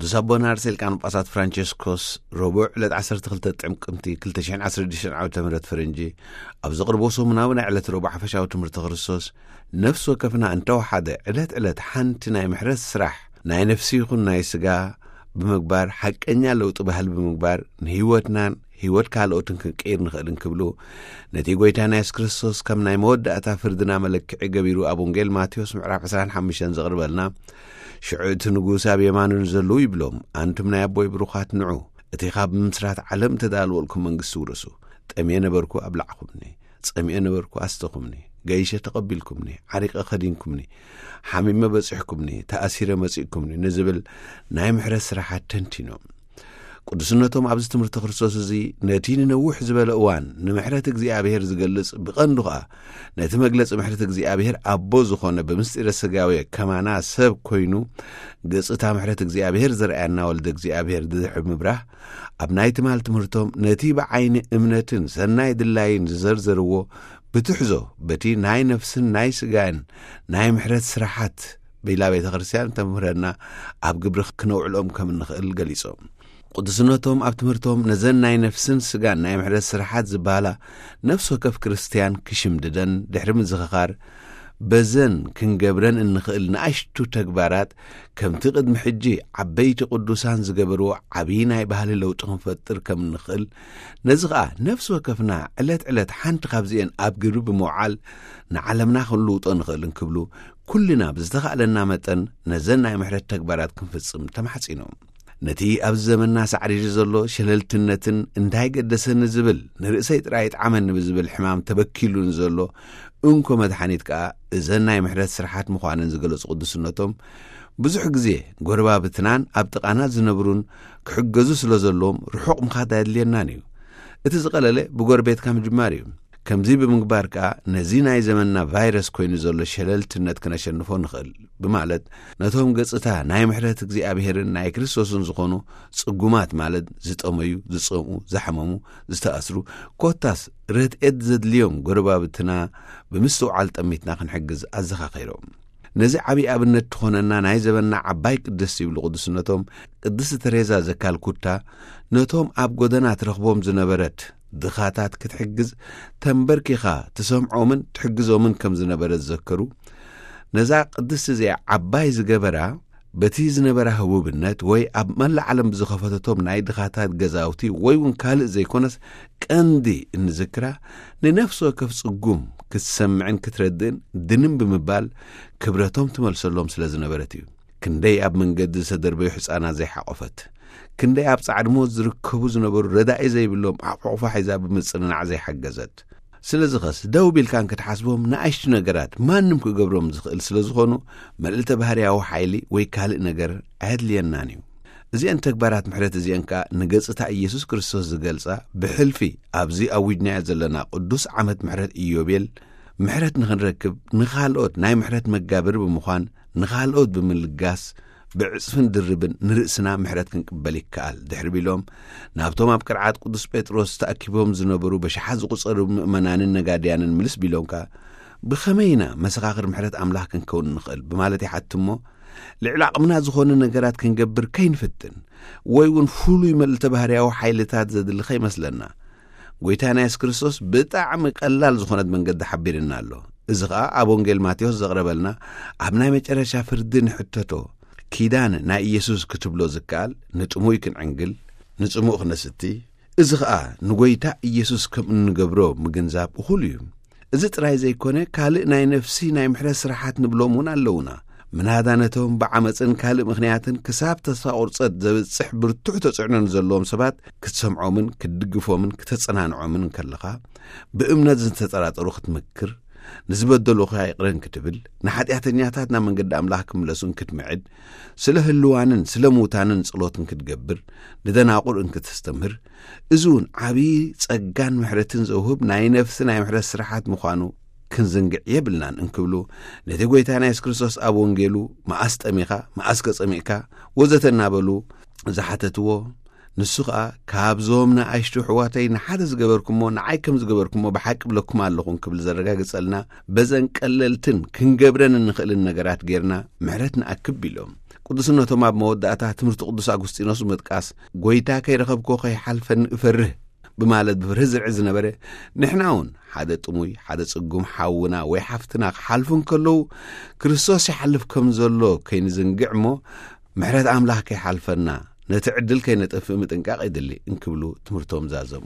ቅዱስ ኣቦና ርእሰ ሊቃነ ጳጳሳት ፍራንቸስኮስ ረቡዕ ዕለት ዓሰርተ ክልተ ጥቅምቲ ክልተ ሽሕን ዓሰርተ ሽዱሽተን ዓመተ ምህረት ፈረንጂ ኣብ ዘቕርቦ ሰሙናዊ ናይ ዕለት ረቡዕ ሓፈሻዊ ትምህርቲ ክርስቶስ፣ ነፍሲ ወከፍና እንተወሓደ ዕለት ዕለት ሓንቲ ናይ ምሕረት ስራሕ ናይ ነፍሲ ይኹን ናይ ስጋ ብምግባር፣ ሓቀኛ ለውጢ ባህሊ ብምግባር፣ ንህይወትናን ህይወት ካልኦትን ክንቅይር ንኽእል እንክብሉ፣ ነቲ ጎይታና የሱስ ክርስቶስ ከም ናይ መወዳእታ ፍርድና መለክዒ ገቢሩ ኣብ ወንጌል ማቴዎስ ምዕራፍ ዕስራን ሓሙሽተን ዘቕርበልና፣ ሽዑ እቲ ንጉስ ኣብ የማኑ ንዘለዉ ይብሎም፣ ኣንቱም ናይ ኣቦይ ብሩኻት ንዑ፣ እቲ ካብ ምምስራት ዓለም እተዳለወልኩም መንግስቲ ውረሱ። ጠምየ ነበርኩ ኣብላዕኹምኒ፣ ጸሚኤ ነበርኩ ኣስተኹምኒ፣ ገይሸ ተቐቢልኩምኒ፣ ዓሪቀ ከዲንኩምኒ፣ ሓሚመ በጺሕኩምኒ፣ ተኣሲረ መጺእኩምኒ ንዝብል ናይ ምሕረት ስራሓት ተንቲኖም። ቅዱስነቶም ኣብዚ ትምህርቲ ክርስቶስ እዚ ነቲ ንነዊሕ ዝበለ እዋን ንምሕረት እግዚኣብሔር ዝገልጽ፣ ብቐንዱ ኸኣ ነቲ መግለጺ ምሕረት እግዚኣብሔር ኣቦ ዝኾነ ብምስጢረ ስጋዌ ከማና ሰብ ኮይኑ ገጽታ ምሕረት እግዚኣብሔር ዘርኣየና ወልደ እግዚኣብሔር ድሕሪ ምብራህ፣ ኣብ ናይ ትማል ትምህርቶም ነቲ ብዓይኒ እምነትን ሰናይ ድላይን ዝዘርዘርዎ ብትሕዞ በቲ ናይ ነፍስን ናይ ስጋን ናይ ምሕረት ስራሓት ቤላ ቤተ ክርስቲያን ተምህረና ኣብ ግብሪ ክነውዕሎም ከም እንኽእል ገሊጾም። ቅዱስነቶም ኣብ ትምህርቶም ነዘን ናይ ነፍስን ስጋን ናይ ምሕረት ስራሓት ዝበሃላ ነፍሲ ወከፍ ክርስቲያን ክሽምድደን ድሕሪ ምዝኽኻር፣ በዘን ክንገብረን እንኽእል ንኣሽቱ ተግባራት ከምቲ ቅድሚ ሕጂ ዓበይቲ ቅዱሳን ዝገበርዎ ዓብዪ ናይ ባህሊ ለውጢ ክንፈጥር ከም እንኽእል፣ ነዚ ኸኣ ነፍሲ ወከፍና ዕለት ዕለት ሓንቲ ካብዚኤን ኣብ ግብሪ ብምውዓል ንዓለምና ክንልውጦ ንኽእል እንክብሉ፣ ኩልና ብዝተኻእለና መጠን ነዘን ናይ ምሕረት ተግባራት ክንፍጽም ተማሕጺኖም። ነቲ ኣብዚ ዘመንና ሳዕሪሪ ዘሎ ሸለልትነትን እንታይ ገደሰኒ ዝብል፣ ንርእሰይ ጥራይ ይጥዓመኒ ብዝብል ሕማም ተበኪሉ ንዘሎ እንኮ መድሓኒት ከኣ እዘን ናይ ምሕረት ስራሓት ምዃነን ዝገለጹ ቅዱስነቶም፣ ብዙሕ ግዜ ጎረባብትናን ኣብ ጥቓና ዝነብሩን ክሕገዙ ስለ ዘለዎም ርሑቕ ምኻድ ኣየድልየናን እዩ። እቲ ዝቐለለ ብጎረቤትካ ምጅማር እዩ። ከምዚ ብምግባር ከኣ ነዚ ናይ ዘመንና ቫይረስ ኮይኑ ዘሎ ሸለልትነት ክነሸንፎ ንኽእል ብማለት፣ ነቶም ገጽታ ናይ ምሕረት እግዚኣብሔርን ናይ ክርስቶስን ዝኾኑ ጽጉማት፣ ማለት ዝጠመዩ፣ ዝጸምኡ፣ ዝሓመሙ፣ ዝተኣስሩ፣ ኮታስ ረድኤት ዘድልዮም ጎረባብትና ብምስትውዓል ጠሚትና ክንሕግዝ ኣዘኻኺሮም። ነዚ ዓብዪ ኣብነት ትኾነና ናይ ዘበንና ዓባይ ቅድስቲ ይብሉ ቅዱስነቶም፣ ቅድስቲ ተሬዛ ዘካልኩታ፣ ነቶም ኣብ ጎደና ትረኽቦም ዝነበረት ድኻታት ክትሕግዝ ተንበርኪኻ ትሰምዖምን ትሕግዞምን ከም ዝነበረት ዘከሩ። ነዛ ቅድስቲ እዚኣ ዓባይ ዝገበራ፣ በቲ ዝነበራ ህቡብነት ወይ ኣብ መላእ ዓለም ብዝኸፈተቶም ናይ ድኻታት ገዛውቲ ወይ እውን ካልእ ዘይኮነስ፣ ቀንዲ እንዝክራ ንነፍሲ ወከፍ ጽጉም ክትሰምዕን ክትረድእን ድንም ብምባል ክብረቶም ትመልሰሎም ስለ ዝነበረት እዩ። ክንደይ ኣብ መንገዲ ዝተደርበዩ ሕጻናት ዘይሓቖፈት፣ ክንደይ ኣብ ጻዕዲ ሞት ዝርከቡ ዝነበሩ ረዳኢ ዘይብሎም ኣቑሑፋ ሒዛ ብምጽንናዕ ዘይሓገዘት። ስለዚ ኸስ ደው ቢልካን ክትሓስቦም ንኣሽቱ ነገራት ማንም ክገብሮም ዝኽእል ስለ ዝኾኑ፣ መልእልተ ባህርያዊ ሓይሊ ወይ ካልእ ነገር ኣየድልየናን እዩ። እዚአን ተግባራት ምሕረት እዚአን ከኣ ንገጽታ ኢየሱስ ክርስቶስ ዝገልጻ፣ ብሕልፊ ኣብዚ ኣዊጅናዮ ዘለና ቅዱስ ዓመት ምሕረት ኢዮቤል፣ ምሕረት ንኽንረክብ ንኻልኦት ናይ ምሕረት መጋብር ብምዃን፣ ንኻልኦት ብምልጋስ፣ ብዕጽፍን ድርብን ንርእስና ምሕረት ክንቅበል ይከኣል ድሕሪ ቢሎም፣ ናብቶም ኣብ ቅርዓት ቅዱስ ጴጥሮስ ተኣኪቦም ዝነበሩ በሽሓት ዝቑጸሩ ምእመናንን ነጋድያንን ምልስ ቢሎም ከኣ፣ ብኸመይ ኢና መሰኻኽር ምሕረት ኣምላኽ ክንከውን ንኽእል ብማለት ይሓትሞ፣ ልዕሊ ዓቕምና ዝኾነ ነገራት ክንገብር ከይንፍትን፣ ወይ እውን ፍሉይ መልእልተ ባህርያዊ ሓይልታት ዘድሊ ከይመስለና። ጎይታና የሱስ ክርስቶስ ብጣዕሚ ቀላል ዝኾነት መንገዲ ሓቢርና ኣሎ። እዚ ኸኣ ኣብ ወንጌል ማቴዎስ ዘቕረበልና፣ ኣብ ናይ መጨረሻ ፍርዲ ንሕተቶ፣ ኪዳን ናይ ኢየሱስ ክትብሎ ዝከኣል፣ ንጥሙይ ክንዕንግል፣ ንጽሙእ ክነስቲ፣ እዚ ኸኣ ንጎይታ ኢየሱስ ከም እንገብሮ ምግንዛብ እኹል እዩ። እዚ ጥራይ ዘይኮነ፣ ካልእ ናይ ነፍሲ ናይ ምሕረት ስራሓት ንብሎም እውን ኣለዉና። ምናዳ ነቶም ብዓመጽን ካልእ ምኽንያትን ክሳብ ተስፋ ቁርጸት ዘብጽሕ ብርቱዕ ተጽዕኖ ንዘለዎም ሰባት ክትሰምዖምን ክትድግፎምን ክተጸናንዖምን እንከለኻ፣ ብእምነት ዝተጠራጠሩ ክትምክር፣ ንዝበደሉኻ ይቕረ እንክትብል፣ ንሓጢኣተኛታት ናብ መንገዲ ኣምላኽ ክምለሱ እንክትምዕድ፣ ስለ ህልዋንን ስለ ምዉታንን ጸሎት እንክትገብር፣ ንደናቑር እንክተስተምህር፣ እዚ እውን ዓብዪ ጸጋን ምሕረትን ዘውህብ ናይ ነፍሲ ናይ ምሕረት ስራሓት ምዃኑ ክንዝንግዕ የብልናን እንክብሉ፣ ነቲ ጎይታና የሱስ ክርስቶስ ኣብ ወንጌሉ፣ "መኣስ ጠሚኻ? መኣስከ ጸሚእካ?" ወዘተ እናበሉ ዝሓተትዎ፣ ንሱ ኸኣ፣ "ካብዞም ንኣሽቱ ኣሕዋተይ ንሓደ ዝገበርኩሞ፣ ንዓይ ከም ዝገበርኩሞ ብሓቂ እብለኩም ኣለኹ" እንክብል ዘረጋግጸልና፣ በዘን ቀለልትን ክንገብረን እንኽእልን ነገራት ጌርና ምሕረት ንኣክብ ኢሎም። ቅዱስነቶም ኣብ መወዳእታ ትምህርቲ ቅዱስ ኣጉስጢኖስ ብምጥቃስ፣ "ጎይታ ከይረኸብኮ ከይሓልፈኒ እፈርህ" ብማለት ብፍርሂ ዝርዒ ዝነበረ፣ ንሕና እውን ሓደ ጥሙይ፣ ሓደ ጽጉም ሓውና ወይ ሓፍትና ክሓልፉ እንከለዉ፣ ክርስቶስ ይሓልፍ ከም ዘሎ ከይንዝንግዕ እሞ፣ ምሕረት ኣምላኽ ከይሓልፈና፣ ነቲ ዕድል ከይነጠፍእ ምጥንቃቕ የድሊ እንክብሉ ትምህርቶም ዛዘሙ።